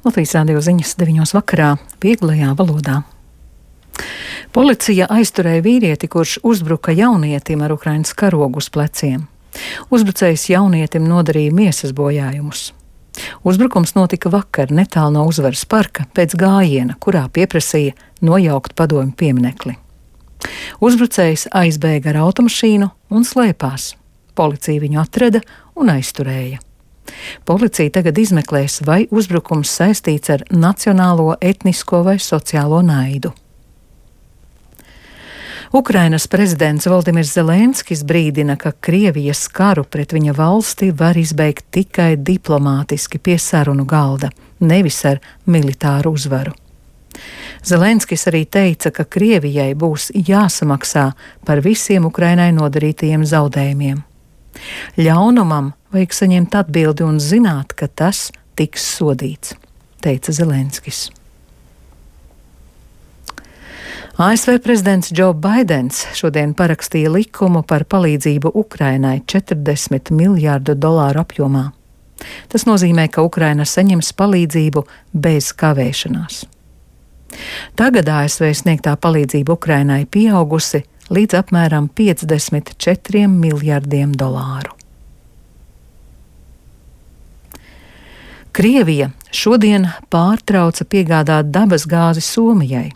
Latvijas Rādio ziņas 9 vakarā vieglajā valodā. Policija aizturēja vīrieti, kurš uzbruka jaunietim ar Ukrainas karogu uz pleciem. Uzbrucējs jaunietim nodarīja miesas bojājumus. Uzbrukums notika vakar netālu no Uzvaras parka pēc gājiena, kurā pieprasīja nojaukt padomju pieminekli. Uzbrucējs aizbēga ar automašīnu un slēpās. Policija viņu atrada un aizturēja. Policija tagad izmeklēs, vai uzbrukums saistīts ar nacionālo, etnisko vai sociālo naidu. Ukrainas prezidents Voldimirs Zelenskis brīdina, ka Krievijas karu pret viņa valsti var izbeigt tikai diplomātiski pie sarunu galda, nevis ar militāru uzvaru. Zelenskis arī teica, ka Krievijai būs jāsamaksā par visiem Ukrainai nodarītajiem zaudējumiem. Ļaunumam vajag saņemt atbildi un zināt, ka tas tiks sodīts, teica Zelenskis. ASV prezidents Joe Baidens šodien parakstīja likumu par palīdzību Ukrainai $40 miljārdu apjomā. Tas nozīmē, ka Ukraina saņems palīdzību bez kavēšanās. Tagad ASV sniegtā palīdzība Ukrainai pieaugusi līdz apmēram $54 miljardiem. Krievija šodien pārtrauca piegādāt dabasgāzi Somijai.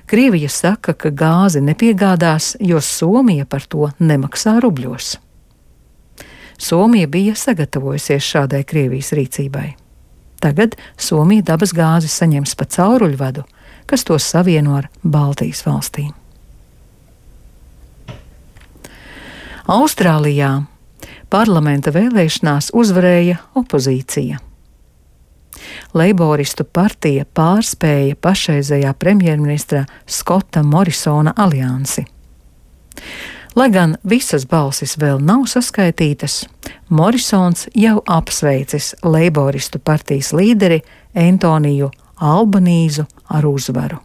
Krievija saka, ka gāzi nepiegādās, jo Somija par to nemaksā rubļos. Somija bija sagatavojusies šādai Krievijas rīcībai. Tagad Somija dabasgāzi saņems pa cauruļvadu, kas to savieno ar Baltijas valstīm. Austrālijā parlamenta vēlēšanās uzvarēja opozīcija. Leiboristu partija pārspēja pašreizējā premjerministra Skota Morisona aliansi. Lai gan visas balsis vēl nav saskaitītas, Morisons jau apsveicis Leiboristu partijas līderi Antoniju Albanīzu ar uzvaru.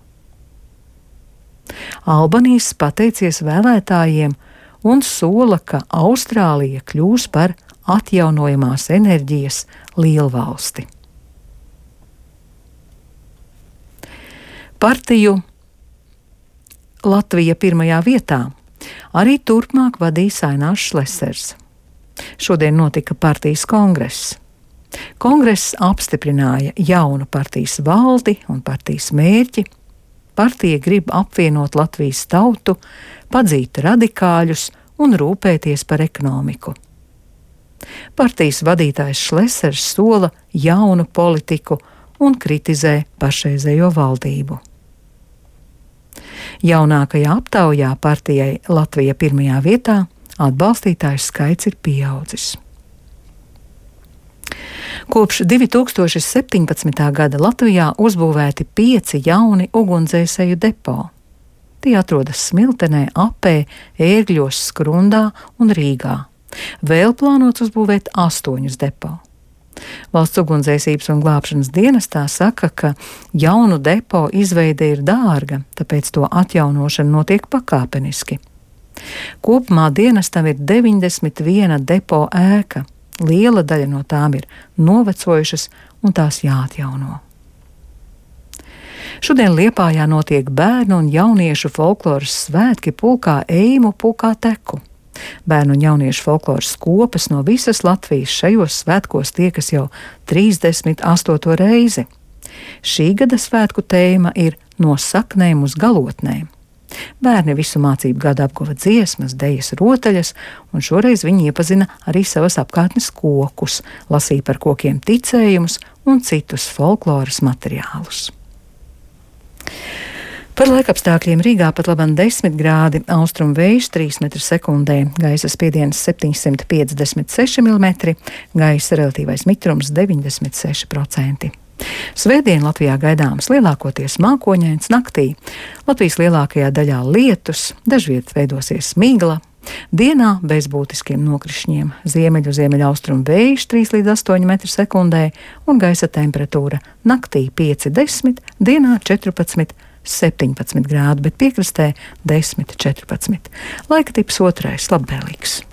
Albanīzs pateicies vēlētājiem un sola, ka Austrālija kļūs par atjaunojamās enerģijas lielvalsti. Partiju Latvija pirmajā vietā arī turpmāk vadīs Ainārs Šlesers. Šodien notika partijas kongress. Kongress apstiprināja jaunu partijas valdi un partijas mērķi. Partija grib apvienot Latvijas tautu, padzīt radikāļus un rūpēties par ekonomiku. Partijas vadītājs Šlesers sola jaunu politiku un kritizē pašreizējo valdību. Jaunākajā aptaujā partijai Latvija pirmajā vietā atbalstītāju skaits ir pieaudzis. Kopš 2017. gada Latvijā uzbūvēti 5 jauni ugunsdzēsēju depo. Tie atrodas Smiltenē, Apē, Ērgļos, Skrundā un Rīgā. Vēl plānots uzbūvēt 8 depo. Valsts ugunsdzēsības un glābšanas dienestā saka, ka jaunu depo izveide ir dārga, tāpēc to atjaunošana notiek pakāpeniski. Kopumā dienestam ir 91 depo ēka. Liela daļa no tām ir novecojušas un tās jāatjauno. Šodien Liepājā notiek bērnu un jauniešu folkloras svētki pulkā Eimu pulkā Teku. Bērnu un jauniešu folkloras kopas no visas Latvijas šajos svētkos tiekas jau 38. reizi. Šī gada svētku tēma ir No saknēm uz galotnēm. Bērni visu mācību gadu apguva dziesmas, dejas, rotaļas, un šoreiz viņi iepazina arī savas apkārtnes kokus, lasīja par kokiem ticējumus un citus folkloras materiālus. Par laikapstākļiem Rīgā pat labam 10 grādi, austrumu vējš 3 m/sekundē, gaisa spiediens 756 mm, gaisa relatīvais mitrums 96%. Svētdien Latvijā gaidāms lielākoties mākoņains, naktī Latvijas lielākajā daļā lietus, dažviet veidosies migla. Dienā bez būtiskiem nokrišņiem, ziemeļaustrumu vējš 3 līdz 8 m/sekundē un gaisa temperatūra naktī 5–10, dienā 14–17 grādi, bet piekrastē 10–14. Laika tips otrais labvēlīgs.